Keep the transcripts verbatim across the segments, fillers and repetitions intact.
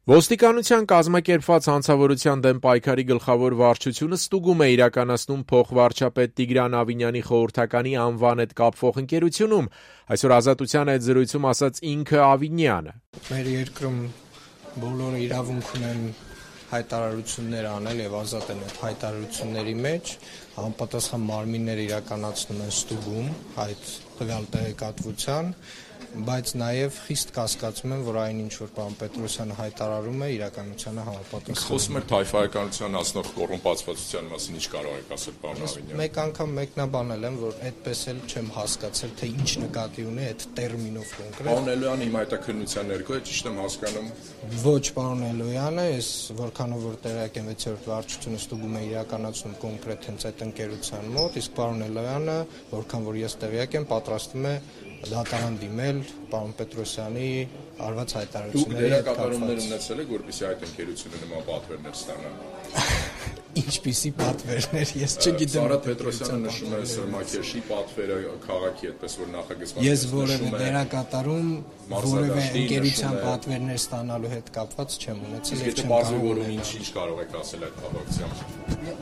Ոստիկանության կազմակերպված հանցավորության դեմ պայքարի գլխավոր վարչությունը ստուգում է իրականացնում փոխվարչապետ Տիգրան Ավինյանի խորհրդականի անվան հետ կապվող ընկերությունում, այսօր Ազատության հետ զրույցում ասաց ինքը Ավինյանը. Մեր երկրում բոլորը իրավունք ունեն հայտարարություններ անել եւ ազատ են այդ հայտարարությունների մեջ, համապատասխան մարմինները իրականացնում են ստուգում այդ տվյալ տեղեկատվության, բայց նաև խիստ կասկածում եմ, որ այն ինչ որ պարոն Պետրոսյանը հայտարարում է իրականությանը համապատասխան։ Խոսում եք թայֆայականության հասնող կոռումպացվածության մասին, ինչ կարող եք ասել, պարոն Ավինյան։ Մեկ անգամ մեկնաբանել եմ, որ այդպես էլ չեմ հասկացել, թե ինչ նկատի ունի այդ տերմինով կոնկրետ։ Պարոն Էլոյանը հիմա հետաքննության ներքո է, ճիշտ եմ հասկանում։ Ոչ, պարոն Էլոյանը, ես որքանով որ տեղյակ եմ վեցերորդ վարչությունը ստուգում է իրականացնում կոնկրետ հենց այդ ընկերության մոտ, իսկ պարոն Էլոյանը, որքան որ ես տեղյակ եմ, պատրաստվում է դատարան դիմել պարոն Պետրոսյանի արված հայտարարությունների հետ կապված։ Դուք դերակատարումներ ունեցել եք, որպեսզի այդ ընկերությունը նման պատվերներ ստանա։ Ինչպիսի պատվերներ, ես չգիտեմ։ Սարհատ Պետրոսյանը նշում է Սրմակեշի պատվերը քաղաքի այդպես որ նախագծված։ Ես որևէ դերակատարում որևէ ընկերության պատվերներ ստանալու հետ կապված չեմ ունեցել եւ չեմ կարող ինչ կարող եք ասել այդ կապակցությամբ։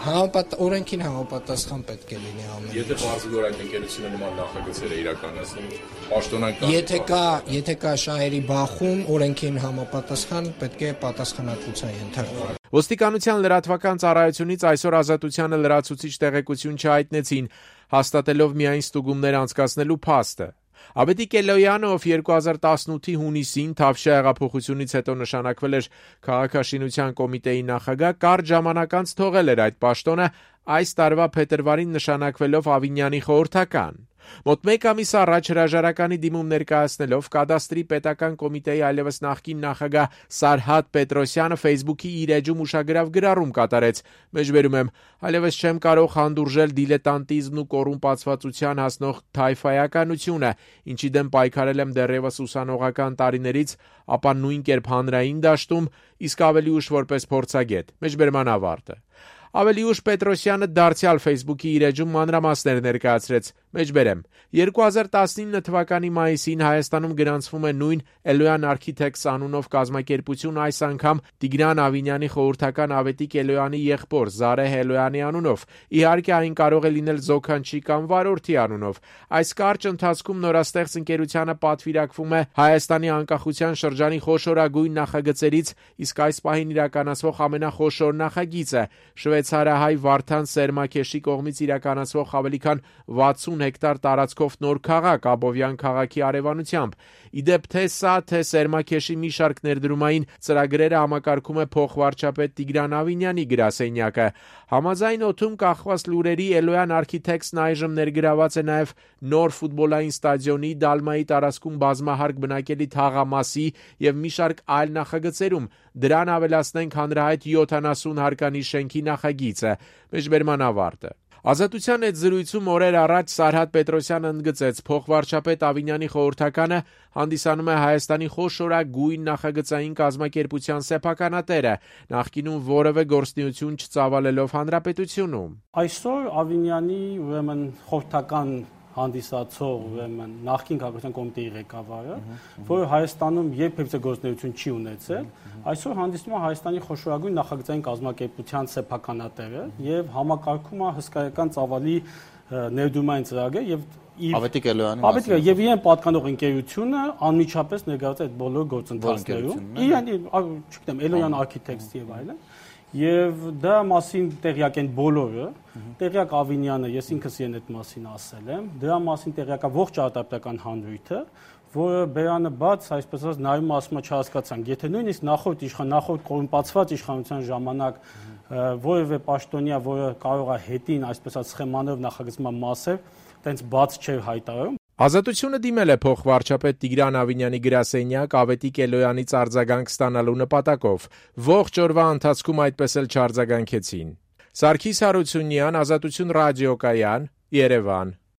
Համապատ օրենքին համապատասխան պետք է լինի ամեն ինչ։ Եթե բարձր որ այդ ընկերությունը նման նախագծեր է իրականացնում, պաշտոնական Եթե կա, եթե կա շահերի բախում, օրենքին համապատասխան պետք է պատասխանատվության ենթարկվի։ Ոստիկանության լրատվական ծառայությունից այսօր Ազատությանը լրացուցիչ տեղեկություն չհայտնեցին, հաստատելով միայն ստուգումներ անցկացնելու փաստը։ Ավետիք Էլոյանը, ով երկու հազար տասնութի հունիսին Թավշյա հեղափոխությունից հետո նշանակվել էր քաղաքաշինության կոմիտեի նախագահ, կարճ ժամանակ անց թողել էր այդ պաշտոնը, այս տարվա փետրվարին նշանակվելով Ավինյանի խորհրդական։ Մոտ մեկ ամիս առաջ հրաժարականի դիմում ներկայացնելով կադաստրի պետական կոմիտեի այլևս նախկին նախագահ Սարհատ Պետրոսյանը Facebook-ի իր էջում ուշագրավ գրառում կատարեց. Մեջբերում եմ, այլևս չեմ կարող հանդուրժել դիլետանտիզմն ու կոռումպացվածության հասնող թայֆայականությունը, ինչի դեմ պայքարել եմ դեռևս ուսանողական տարիներից, ապա նույն կերպ հանրային դաշտում, իսկ ավելի ուշ որպես փորձագետ։ Մեջբերման ավարտը։ Ավելի ուշ Պետրոսյանը դարձյալ Facebook-ի իր էջում մանրամասներ ներկայացրեց. Մեջբերեմ, երկու հազար տասնինը թվականի մայիսին Հայաստանում գրանցվում է նույն Էլոյան Architects անունով կազմակերպություն, այս անգամ Տիգրան Ավինյանի խորհրդական Ավետիք Էլոյանի եղբոր Զարեհ Էլոյանի անունով։ Իհարկե այն կարող է լինել Զոքանչի կամ Վարորդի անունով։ Այս կարճ ընթացքում նորաստեղծ ընկերությանը պատվիրակվում է Հայաստանի անկախության շրջանի խոշորագույն նախագծերից, իսկ այս պահին իրականացվող ամենախոշոր նախագիծը շվեյցարահայ Վարդան Սերմակեշի կողմից իրականացվող ավելի քան վաթսուն հեկտար տարածքով նոր քաղաք Աբովյան քաղաքի արևանությամբ։ Իդեպ թե սա, թե Սերմակեշի մի շարք ներդրումային ծրագրերը համակարգում է փոխվարչապետ Տիգրան Ավինյանի գրասենյակը։ Համաձայն օդում կախված լուրերի Էլոյան Architects-ն այժմ ներգրաված է նաև նոր ֆուտբոլային ստադիոնի, Դալմայի տարածքում բազմահարկ բնակելի թաղամասի եւ մի շարք այլ նախագծերում։ Դրան ավելացնենք հանրահայտ յոթանասուն հարկանի շենքի նախագիծը։ Մեջբերման ավարտը։ Ազատության հետ զրույցում օրեր առաջ Սարհատ Պետրոսյանը ընդգծեց, փոխվարչապետ Ավինյանի խորհրդականը հանդիսանում է Հայաստանի խոշորագույն նախագծային կազմակերպության սեփականատերը, նախկինում որևէ գործունեություն չծավալելով հանրապետությունում։ Այսօր Ավինյանի ուրեմն խորհրդական հանդիսացող ուրեմն նախկին քաղաքական կոմիտեի ղեկավարը, որը Հայաստանում երբևէ գործունեություն չի ունեցել, այսօր հանդիսում է Հայաստանի խոշորագույն նախագծային կազմակերպության սեփականատերը եւ համակարգում է հսկայական ծավալի ներդրումային ծրագրեր եւ Ավետիք Էլոյանը Ավետիքը եւ իրեն պատկանող ընկերությունը անմիջապես ներգրաված է այդ բոլոր գործընթացներում։ Իրեն, չգիտեմ, Էլոյան Architects եւ այլն։ Եվ դրա մասին տեղյակ են բոլորը, տեղյակ Ավինյանը, ես ինքս իրեն այդ մասին ասել եմ, դրա մասին տեղյակ է ողջ արտադրական հանրույթը, որը բերանը բաց, այսպես ասած, նայում ասում է չհասկացանք, եթե նույնիսկ նախորդ իշխան, նախորդ կոռումպացված իշխանության ժամանակ որևէ պաշտոնյա, որը կարող է հետին, այսպես ասած, սխեմանով նախագծման մասեր, տենց բաց չէր հայտարարում։ Ազատությունը դիմել է փոխվարչապետ Տիգրան Ավինյանի գրասենյակ Ավետիք Էլոյանից արձագանք ստանալու նպատակով։ Ողջ օրվա ընթացքում այդպես էլ չարձագանքեցին։ Սարգիս Հարությունյան, Ազատություն ռադիոկայան, Երևան։